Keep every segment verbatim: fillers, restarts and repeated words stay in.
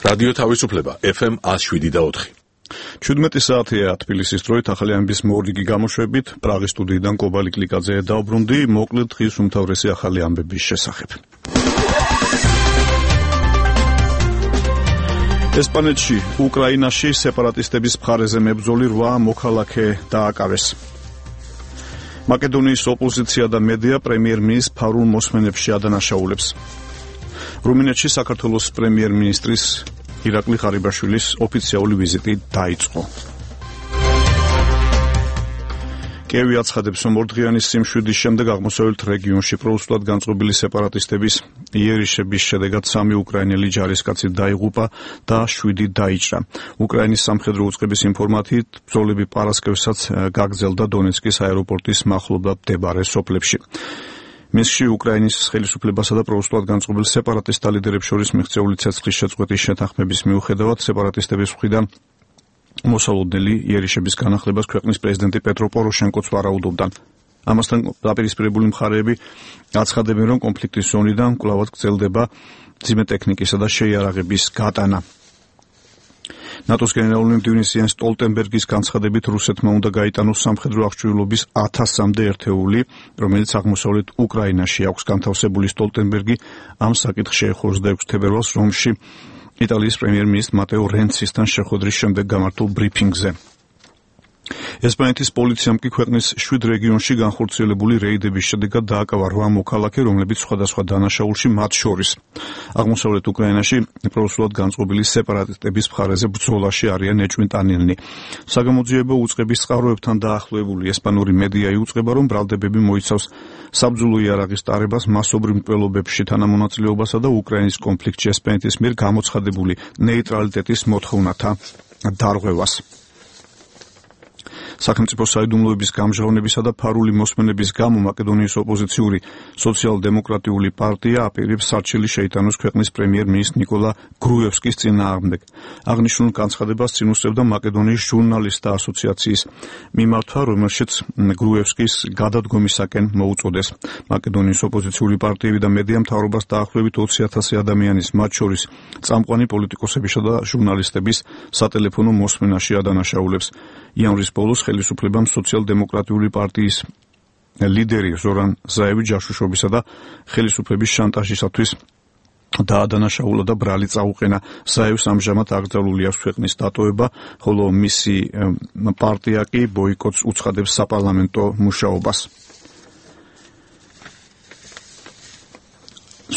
რადიო თავისუფლება ეფ ემ one oh seven და four. ჩვიდმეტი საათია თბილისის დროით ახალი ამბის მორიგი გამოშვებით პრაღის სტუდიიდან კობალი კლიკაძე დაუბრუნდი მოკლედ დღის უმთავრესი ახალი ამბების შესახებ. ესპანეთში უკრაინაში სეპარატისტების მხარეზე მებრძოლი რვა მოქალაქე დააკავეს. მაკედონიის ოპოზიცია და მედია პრემიერ-მინისტრ ფარულ მოსმენებში ადანაშაულებს. რუმინეთში საქართველოს პრემიერ-მინისტრის ირაკლი ღარიბაშვილის ოფიციალური ვიზიტი დაიწყო. კიევი აცხადებს, რომ ორდღიანი სიმშვიდის შემდეგ აღმოსავლეთ რეგიონში პროუსულად განწყობილი სეპარატისტების იერიშების შედეგად სამი უკრაინელი ჯარისკაცი დაიღუპა და შვიდი დაიჭრა. უკრაინის სამხედრო უწყების ინფორმაციით ბრძოლები პარასკევსაც გაგრძელდა დონეცკის აეროპორტის მახლობლად მდებარე სოფლებში. მისში უკრაინის ხელისუფლებასა და პროუსულად განწყობილ სეპარატისტთა ლიდერებს შორის მიღწეული ცეცხლის შეწყვეტის შეთანხმების მიუხედავად სეპარატისტების მხრიდან მოსალოდნელი იერიშების განახლებას ქვეყნის პრეზიდენტი პეტრო პოროშენკოც ვარაუდობდა. ამასთან დაპირისპირებული მხარეები აცხადებენ, რომ კონფლიქტის ზონიდან კვლავად გრძელდება მძიმე ტექნიკისა და შეიარაღების გატანა. ნატოს გენერალური მდივნის იენს სტოლტენბერგის განცხადებით რუსეთმა უნდა გაიტანოს სამხედრო აღჭურვილობის ათასამდე ერთეული, რომელიც აღმოსავლეთ უკრაინაში აქვს განთავსებული. სტოლტენბერგი ამ საკითხს შეეხო ოცდაექვსი თებერვალს რომში იტალიის პრემიერ-მინისტრ მატეო რენცისთან შეხვედრის შემდეგ გამართულ ბრიფინგზე. ესპანეთის პოლიციამ კი ქვეყნის შვიდ რეგიონში განხორციელებული რეიდების შედეგად დააკავა რვა მოქალაქე, რომლებიც სხვადასხვა დანაშაულში მათ შორის აღმოსავლეთ უკრაინაში პროუსულად განწყობილი სეპარატისტების მხარეზე ბრძოლაში არიან ეჭვმიტანილნი. საგამოძიებო უწყების წყაროებთან დაახლოებული ესპანური მედია იუწყება, რომ ბრალდებები მოიცავს საბრძოლო იარაღის ტარებას, მასობრივ მკვლელობებში თანამონაწილეობასა და უკრაინის კონფლიქტში ესპანეთის მიერ გამოცხადებული ნეიტრალიტეტის მოთხოვნათა დარღვევას. სახელმწიფო საიდუმლოების გამჟღავნებისა და ფარული მოსმენების გამო მაკედონიის ოპოზიციური სოციალ-დემოკრატიული პარტია აპირებს სარჩელი შეიტანოს ქვეყნის პრემიერ-მინისტრ ნიკოლა გრუევსკის წინააღმდეგ. აღნიშნულ განცხადებას წინ უსწრებდა მაკედონიის ჟურნალისტთა ასოციაციის მიმართვა, რომელშიც გრუევსკის გადადგომისაკენ მოუწოდეს. მაკედონიის ოპოზიციური პარტიები და მედია მთავრობას დაახლოებით ოცი ათასი ადამიანის, მათ შორის წამყვანი პოლიტიკოსებისა და ჟურნალისტების სატელეფონო მოსმენაში ადანაშაულებს. იანვრის ბოლოს ხელისუფლებამ სოციალ-დემოკრატიული პარტიის ლიდერი ზორან ზაევი ჯაშუშობისა და ხელისუფლების შანტაჟისათვის დაადანაშაულა და ბრალი წაუყენა. ზაევს ამჟამად აკრძალული აქვს ქვეყნის დატოვება, ხოლო მისი პარტია კი ბოიკოტს უცხადებს საპარლამენტო მუშაობას.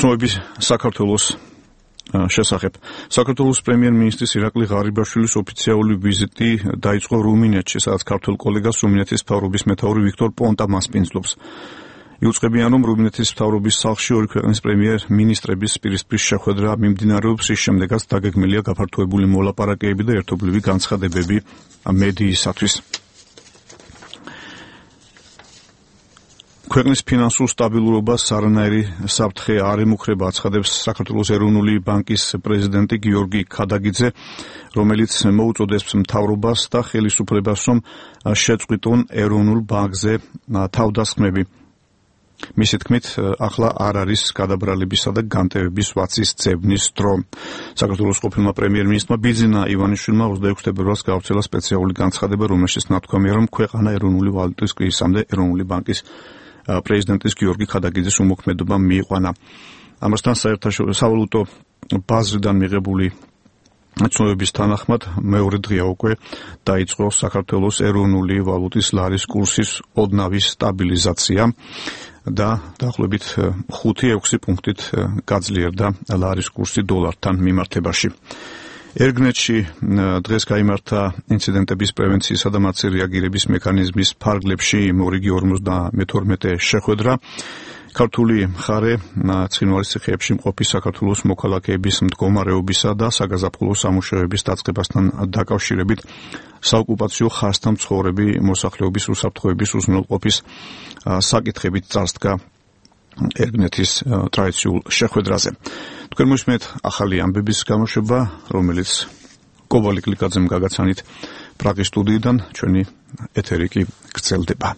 ცნობების საქართველოს შესახებ. საქართველოს პრემიერ-მინისტრის ირაკლი ღარიბაშვილის ოფიციალური ვიზიტი დაიწყო რუმინეთში, სადაც ქართველ კოლეგას რუმინეთის მთავრობის მეთაური ვიქტორ პონტა მასპინძლობს. იუწყებიან, რომ რუმინეთის მთავრობის სახლში ორი ქვეყნის პრემიერ-მინისტრების პირისპირ შეხვედრა მიმდინარეობს, რის შემდეგაც დაგეგმილია გაფართოებული მოლაპარაკებები და ერთობლივი განცხადებები მედიისათვის. ქვეყნის ფინანსურ სტაბილურობას არანაირი საფრთხე არ ემუქრება, აცხადებს საქართველოს ეროვნული ბანკის პრეზიდენტი გიორგი ქადაგიძე, რომელიც მოუწოდებს მთავრობას და ხელისუფლებას, რომ შეწყვიტონ ეროვნულ ბანკზე თავდასხმები. მისი თქმით, ახლა არ არის გადაბრალებისა და განტევების ვაცის ძებნის დრო. საქართველოს ყოფილმა პრემიერ-მინისტრმა ბიძინა ივანიშვილმა ოცდაექვსი თებერვალს გაავრცელა სპეციალური განცხადება, რომელშიც ნათქვამია, რომ ქვეყანა ეროვნული ვალუტის კრიზისამდე ეროვნული ბანკის პრეზიდენტის გიორგი ქადაგიძის უმოქმედობა მიიყვანა. ამასთან სავალუტო ბაზრიდან მიღებული ცნობების თანახმად მეორე დღეა უკვე დაიწყო საქართველოს ეროვნული ვალუტის ლარის კურსის ოდნავი სტაბილიზაცია და დაახლოებით ხუთი ექვსი პუნქტით გაძლიერდა ლარის კურსი დოლართან მიმართებაში. ერგნეთში დღეს გაიმართა ინციდენტების პრევენციისა და მათზე რეაგირების მექანიზმის ფარგლებში მორიგი ორმოცდამეთორმეტე შეხვედრა. ქართული მხარე ცხინვალის ციხეებში მყოფი საქართველოს მოქალაქეების მდგომარეობისა და საგაზაფხულო სამუშაოების დაწყებასთან დაკავშირებით საოკუპაციო ხაზთან მცხოვრები მოსახლეობის უსაფრთხოების უზრუნველყოფის საკითხებით წარსდგა ერგნეთის ტრადიციულ შეხვედრაზე. თქვენ მოსმენთ ახალი ამბების გამოშვება, რომელიც კობალი კლიკაძემ გაგაცანით პრაღის სტუდიიდან, ჩვენი ეთერი კი გრძელდება.